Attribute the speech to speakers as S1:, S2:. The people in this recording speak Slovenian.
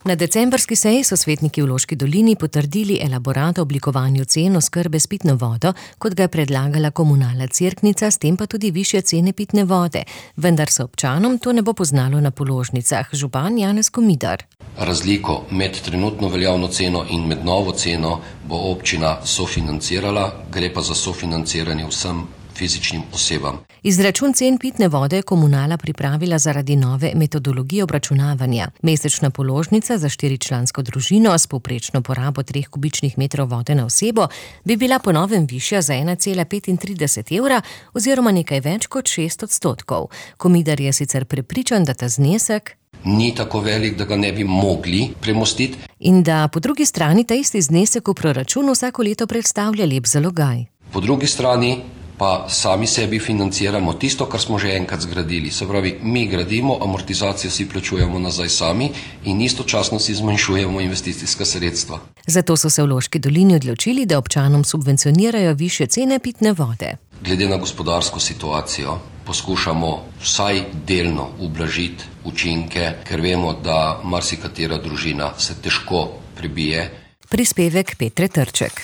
S1: Na decembrski seji so svetniki v Loški dolini potrdili elaborat o oblikovanju cen oskrbe s pitno vodo, kot ga je predlagala Komunalna Cerknica, s tem pa tudi višje cene pitne vode. Vendar se občanom to ne bo poznalo na položnicah. Župan Janez Komidar.
S2: Razliko med trenutno veljavno ceno in med novo ceno bo občina sofinancirala, gre pa za sofinanciranje vsem fizičnim osebam.
S1: Izračun cen pitne vode je Komunala pripravila zaradi nove metodologije obračunavanja. Mesečna položnica za 4-člansko družino s povprečno porabo 3 kubičnih metrov vode na osebo bi bila po novem višja za 1,35 evra oziroma nekaj več kot 6%. Komidar je sicer prepričan, da ta znesek
S2: ni tako velik, da ga ne bi mogli premostiti.
S1: In da po drugi strani ta isti znesek v proračunu vsako leto predstavlja lep zalogaj.
S2: Po drugi strani pa sami sebi financiramo tisto, kar smo že enkrat zgradili. Se pravi, mi gradimo, amortizacijo si plačujemo nazaj sami in istočasno si zmanjšujemo investicijska sredstva.
S1: Zato so se v Loški dolini odločili, da občanom subvencionirajo višje cene pitne vode.
S2: Glede na gospodarsko situacijo poskušamo vsaj delno ublažiti učinke, ker vemo, da marsikatera družina se težko prebije.
S1: Prispevek Petre Trček.